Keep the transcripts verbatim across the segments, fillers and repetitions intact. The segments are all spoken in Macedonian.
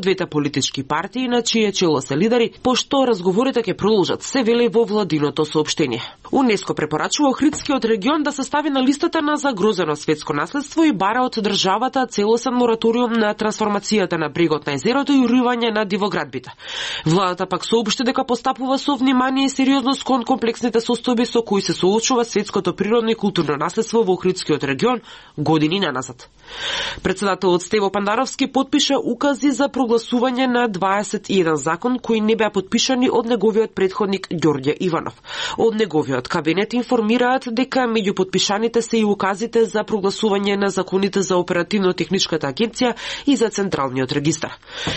двете политички партии на чие чело се лидери, пошто разговорите ќе продолжат, се вели во владиното соопштение. УНЕСКО препорачува Охридскиот регион да се стави на листата на загрозено светско наследство и бара од државата целосен мораториум на трансформацијата на брегот на езерото и уривање на дивоградбите. Владата пак соопшти дека постапува со внимание и сериозност кон комплексните состојби со кои се соочува светското природно и културно наследство во Охридскиот регион години наназад. Председателот Стево Пандаровски потпиша укази за прогласување на дваесет и еден закон кои не беа потпишани од неговиот претходник Ѓорѓе Иванов. Од неговиот кабинет информираат дека меѓу потпишаните се и указите за прогласување на законите за оперативно-техничката агенција и за централниот регистар.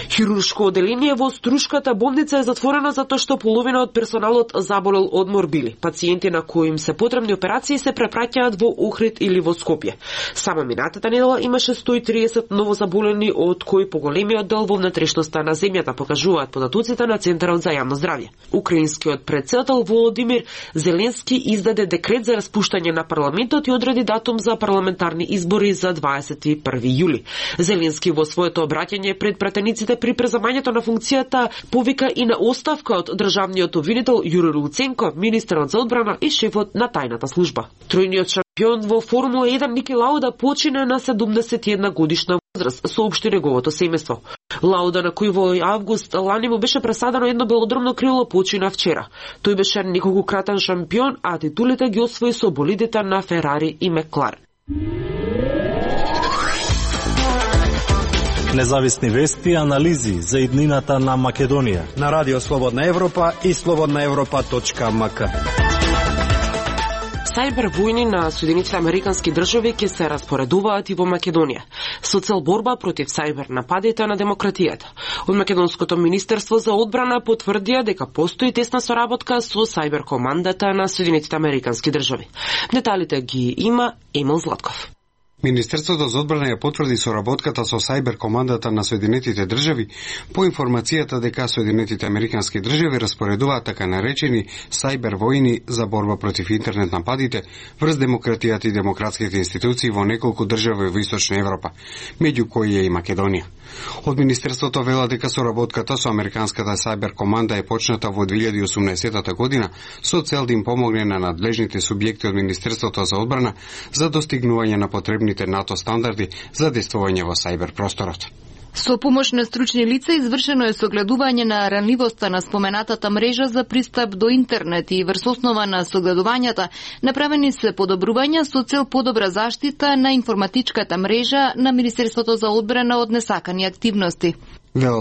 Хируршко оделение во Струшката болница е затворено затоа што половина од персоналот заболел од морбили. Пациенти на кои им се потребни операции се препраќаат во Охрид или во Скопје. Само минатата недела имаше сто и триесет новозаболени, од кои поголемиот дел во внатрешноста на земјата, покажуваат податоците на Центарот за јавно здравје. Украинскиот претседател Володимир Зеленски издаде декрет за распуштање на парламентот и одреди датум за парламентарни избори за дваесет и први јули. Зеленски во своето обраќање пред пратениците при преземањето на функцијата повика и на оставка од државниот обвинител Јури Луценко, министерот за одбрана и шефот на тајната служба. Тројниот шампион во Формула еден Ники Лауда почина на седумдесет и една годишна возраст, соопшти неговото семејство. Лауда, на кој во август лани му беше пресадено едно белодромно крило, почина вчера. Тој беше неколкократен шампион, а титулите ги освои со болидите на Ферари и Мекларен. Независни вести и анализи за иднината на Македонија на Радио Слободна Европа и слободна европа точка ем ка. Сајбер војни на Соединетите Американски држави ќе се распоредуваат и во Македонија, со цел борба против сајбер нападите на демократијата. Од Македонското министерство за одбрана потврдија дека постои тесна соработка со сајбер командата на Соединетите Американски држави. Деталите ги има Емил Златков. Министерството за одбрана ја потврди соработката со сајбер командата на Соединетите држави по информацијата дека Соединетите Американски држави распоредуваат така наречени сајбер војни за борба против интернет нападите врз демократијата и демократските институции во неколку држави во Источна Европа, меѓу кои е и Македонија. Од Министерството вела дека соработката со Американската сајбер команда е почната во две илјади и осумнаесета година со цел да им помогне на надлежните субјекти од Министерството за одбрана за достигнување на потребните НАТО стандарди за действување во сајбер просторот. Со помош на стручни лица извршено е согледување на ранливоста на споменатата мрежа за пристап до интернет и врз основа на согледувањата направени се подобрувања со цел подобра заштита на информатичката мрежа на Министерството за одбрана од несакани активности. Вела